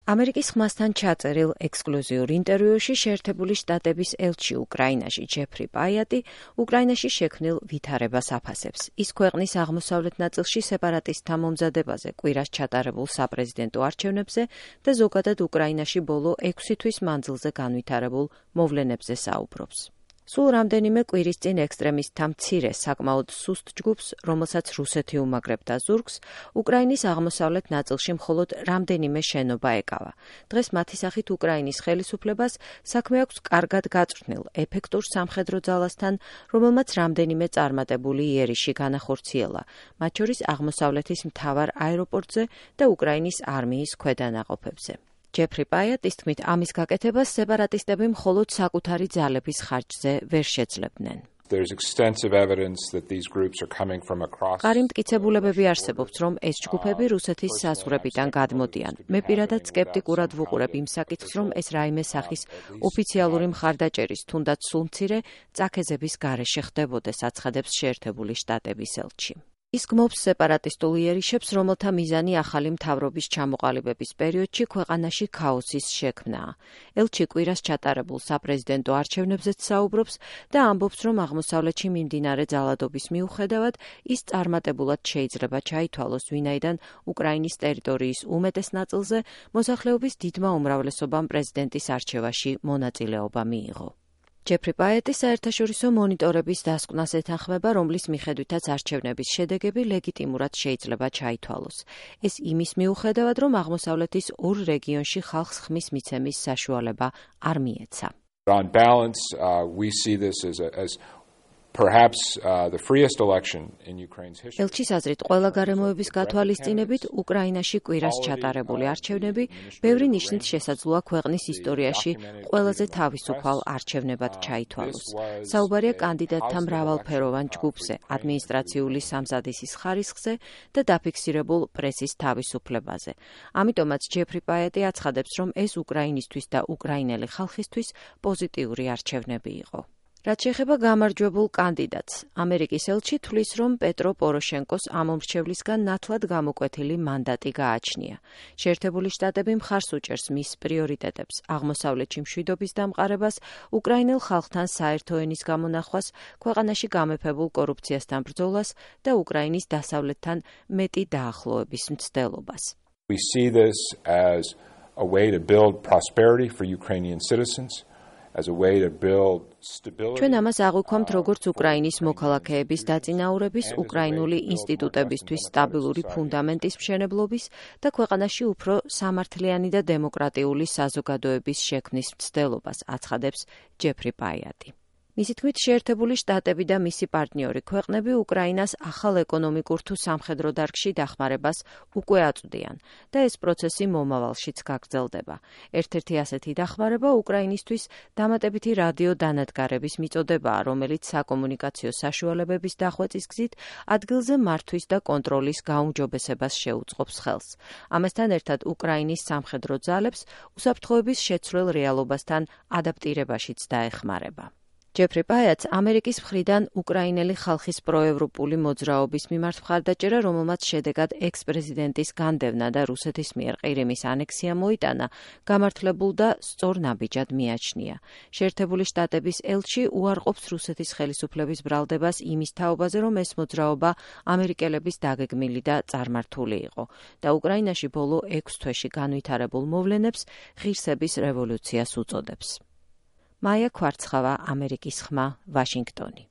ამერიკის ხმასთან ჩაწერილ ექსკლუზიურ ინტერვიუში შეერთებული შტატების ელჩი უკრაინაში ჯეფრი პაიატი უკრაინაში შექმნილ ვითარებას აფასებს. ის ქვეყნის აღმოსავლეთ ნაწილში სეპარატისტთა მომზადებაზე, კვირას ჩატარებულ საპრეზიდენტო არჩევნებზე და ზოგადად უკრაინაში ბოლო 6 თვის მანძილზე განვითარებულ მოვლენებზე საუბრობს. სულ რამდენიმე კვირის წინ ექსტრემისტთა მცირე საკმაოდ სუსტ ჯგუფს, რომელსაც რუსეთი უმაგრებდა ზურგს, უკრაინის აღმოსავლეთ ნაწილში მხოლოდ რამდენიმე შენობა ეკავა. დღეს მათი სახით უკრაინის ხელისუფლებას საქმე აქვს კარგად გაწვრთნილ, ეფექტურ სამხედრო ძალასთან, რომელმაც რამდენიმე წარმატებული იერიში განახორციელა, მათ შორის აღმოსავლეთის მთავარ აეროპორტზე და უკრაინის არმიის ქვედანაყოფებზე. ჯეფრი პაიატის თქმით, ამის გაკეთებას სეპარატისტები მხოლოდ საკუთარი ძალების ხარჯზე ვერ შეძლებდნენ. მყარი მტკიცებულებები არსებობს, რომ ეს ჯგუფები რუსეთის საზღვრებიდან გადმოდიან. მე პირადად სკეპტიკურად ვუყურებ იმ საკითხს, რომ ეს რაიმე სახის ოფიციალური მხარდაჭერის, თუნდაც სულ მცირე წაქეზების გარეშე ხდებოდეს, აცხადებს შეერთებული შტატების ელჩი. ის გმობს სეპარატისტულ იერიშებს, რომელთა მიზანი ახალი მთავრობის ჩამოყალიბების პერიოდში ქვეყანაში ქაოსის შექმნაა. ელჩი კვირას ჩატარებულ საპრეზიდენტო არჩევნებზეც საუბრობს და ამბობს, რომ აღმოსავლეთში მიმდინარე ძალადობის მიუხედავად ის წარმატებულად შეიძლება ჩაითვალოს, ვინაიდან უკრაინის ტერიტორიის უმეტეს ნაწილზე მოსახლეობის დიდმა უმრავლესობამ პრეზიდენტის არჩევაში მონაწილეობა მიიღო. ჯეფრი პაიატი საერთაშორისო მონიტორების დასკვნას ეთანხმება, რომლის მიხედვითაც არჩევნების შედეგები ლეგიტიმურად შეიძლება ჩაითვალოს. ეს იმის მიუხედავად, რომ აღმოსავლეთის ორ რეგიონში ხალხს ხმის მიცემის საშუალება არ მიეცა. On balance, we see this as perhaps the freest election in Ukraine's history. ელჩის აზრით, ყველა გარემოების გათვალისწინებით უკრაინაში კვირას ჩატარებული არჩევნები ბევრი ნიშნით შესაძლოა ქვეყნის ისტორიაში ყველაზე თავისუფალ არჩევნებად ჩაითვალოს. საუბარია კანდიდატთა მრავალფეროვან ჯგუფზე, ადმინისტრაციული სამზადისის ხარისხზე და დაფიქსირებულ პრესის თავისუფლებაზე. ამიტომაც ჯეფრი პაიატი აცხადებს, რომ ეს უკრაინისთვის და უკრაინელი ხალხისთვის პოზიტიური არჩევნები იყო. რაც შეეხება გამარჯვებულ კანდიდატს, ამერიკის ელჩი თვლის, რომ პეტრო პოროშენკოს ამომრჩევლისგან ნათლად გამოკვეთილი მანდატი გააჩნია. შეერთებული შტატები მხარს უჭერს მის პრიორიტეტებს, აღმოსავლეთში მშვიდობის დამყარებას, უკრაინელ ხალხთან საერთო ენის გამონახვას, ქვეყანაში გამეფებულ კორუფციასთან ბრძოლას და უკრაინის დასავლეთთან მეტი დაახლოების მცდელობას. We see this as a way to build prosperity for Ukrainian citizens. ჩვენ ამას აღვიქვამთ როგორც უკრაინის მოქალაქეების დაწინაურების, უკრაინული ინსტიტუტებისთვის სტაბილური ფუნდამენტის მშენებლობის და ქვეყანაში უფრო სამართლიანი და დემოკრატიული საზოგადოების შექმნის მცდელობას, აცხადებს ჯეფრი პაიატი. მისი თქმით, შეერთებული შტატები და მისი პარტნიორი ქვეყნები უკრაინას ახალ ეკონომიკურ თუ სამხედრო დარგში დახმარებას უკვე აწვდიან და ეს პროცესი მომავალშიც გაგრძელდება. ერთ-ერთი ასეთი დახმარება უკრაინისთვის დამატებითი რადიო დანადგარების მიწოდებაა, რომელიც საკომუნიკაციო საშუალებების დახვეწის გზით ადგილზე მართვის და კონტროლის გაუმჯობესებას შეუწყობს ხელს. ამასთან ერთად უკრაინის სამხედრო ძალებს უსაფრთხოების შეცვლილ რეალობასთან ადაპტირებაშიც დაეხმარება. ჯეფრი პაიატს ამერიკის მხრიდან უკრაინელი ხალხის პროევროპული მოძრაობის მიმართ მხარდაჭერა, რომელმაც შედეგად ექს-პრეზიდენტის განდევნა და რუსეთის მიერ ყირიმის ანექსია მოიტანა, გამართლებულ და სწორ ნაბიჯად მიაჩნია. შეერთებული შტატების ელჩი უარყოფს რუსეთის ხელისუფლების ბრალდებას იმის თაობაზე, რომ ეს მოძრაობა ამერიკელების დაგეგმილი და წარმართული იყო და უკრაინაში ბოლო 6 თვეში განვითარებულ მოვლენებს ღირსების რევოლუციას უწოდებს. მაია ქვარცხავა, ამერიკის ხმა, ვაშინგტონი.